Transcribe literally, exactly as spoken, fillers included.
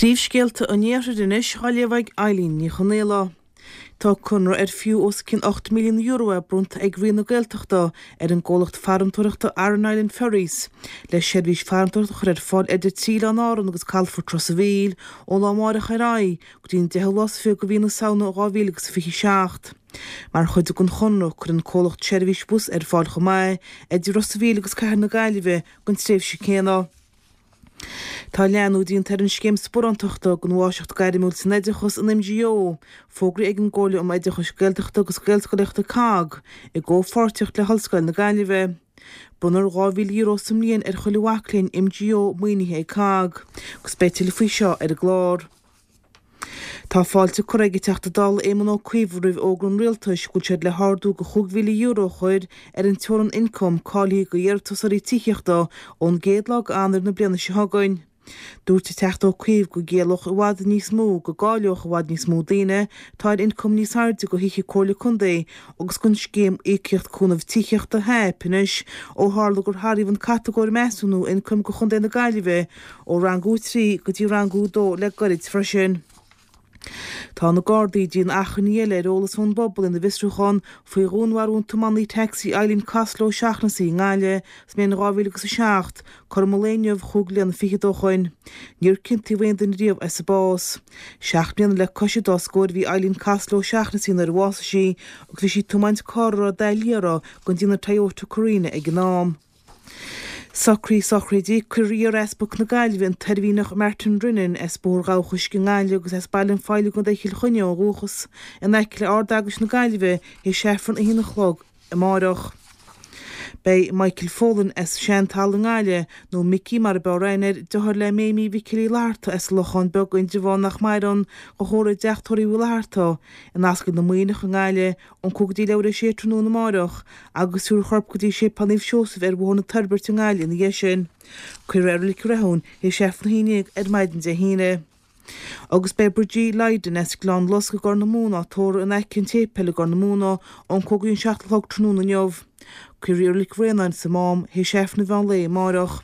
Príomhscéalta an Iarthair anois á léamh ag Eileen Ní Chonaola. Tá conradh ar fiú os cionn ocht míle euro é bronnta ag Roinn na Gaeltachta ar an gcomhlacht farantóireachta Aran Island Ferries le seirbhís farantóireachta a chur ar fáil idir trí Oileán Árann agus Calafort Ros a' Mhíl ó lá amárach ar aghaidh go dtí an deichiú lá is fiche de mhí na Samhna dhá mhíle agus fiche seacht. Mar chuid den chonradh, cuirfidh an comhlacht seirbhís bus ar fáil chomh maith idir Ros a' Mhíl agus Cathair na Gaillimhe don tréimhse céanna. Tá leathnú déanta ar an scéim sparántachta don Mháistreacht Gairmiúil san Oideachas, an MGO, fógraithe ag an gComhairle um Oideachais Gaeltachta agus Gaelscolaíochta, COGG, i gcomhpháirtíocht le hOllscoil na Gaillimhe. Bronnfar dhá mhíle euro sa mbliain ar chuile mhac léinn MGO maoinithe ag COGG, agus beidh tuilleadh faoi seo ar an gclár. Tá fáilte curtha ag an Teachta Dála Éamon Ó Cuív roimh fhógra an Rialtais go bhfuil siad le hardú de chúig mhíle euro a chur ar an teorainn ioncaim cáilithe do iarratasóirí tithíochta ón gcéad lá d'Eanáir na bliana seo chugainn. Dúirt an Teachta Ó Cuív go gciallódh i bhfad níos mó go gcáileodh i bhfad níos mó daoine atá ar ioncam níos airde do thithe Comhairle Contae agus don scéim Íocaíocht Cúnaimh Tithíochta, HAP, anois ó tharla gur hathraíodh an catagóir measúnú ioncaim do Chontae na Gaillimhe ó Rangú a trí go dtí Rangú a dó le gairid freisin. Tá na Gardaí ag déanamh achainí eile ar eolas ón bpobal ina bhfiosrúchán faoi dhúnmharú an tiománaí tacsaí Eileen Costello O'Shaughnessy i nGaillimh sa mbliain dhá mhíle agus a seacht, cothrom an lae inniu chúig bliana fichead ó shoin. Níor ciontaíodh aon duine riamh as a bás. Seacht mbliana le cois an dá scór a bhí Eileen Costello O'Shaughnessy nuair a bhásaigh sí agus bhí sí ag tiomáint carr a raibh dath liath uirthi den déanamh Toyota Carina ag an am. Socruithe sochraide, Cuirfear iar-Easpag na Gaillimhe, an tOirmhinneach Martin Drinnan, as Bóthar Ghabha Chuisce i nGaillimh agus as Baile an Phoill i gContae Chill Chainnigh ó dhúchas, in aice le Ard-Eaglais na Gaillimhe théis Aifreann a haon a chlog amárach. Beidh Michael Folan as Seantalamh i nGaillimh, nó Micí mar a b'fhearr aithne air, deartháir le Méimí Mhicil Uí Fhlatharta as an Lochán Beag, Indreabhán nach maireann, á thórramh i dteach tórraimh Uí Fhlatharta, in Ascaill na Muimhneach i nGaillimh, ón cúig go dtí leathuair théis a sé tráthnóna amáireach agus tabharfar a chorp go dtí Séipéal Naomh Seosamh ar Bhóthar na Toirbhirte i nGaillimh ina dhiaidh sin. Cuirfear é i Reilig Rathúin théis Aifreann a haon déag ar maidin Dé hAoine. Agus beidh Bridgie Lydon as Gleann Lusca i gCorr na Móna á tórramh in aice an tséipéil i gCorr na Móna ón cúig go dtí an seacht a chlog tráthnóna inniu. Cuirfear í i Reilig Bhraonáin sa Mám théis Aifreann an mheán lae amáireach.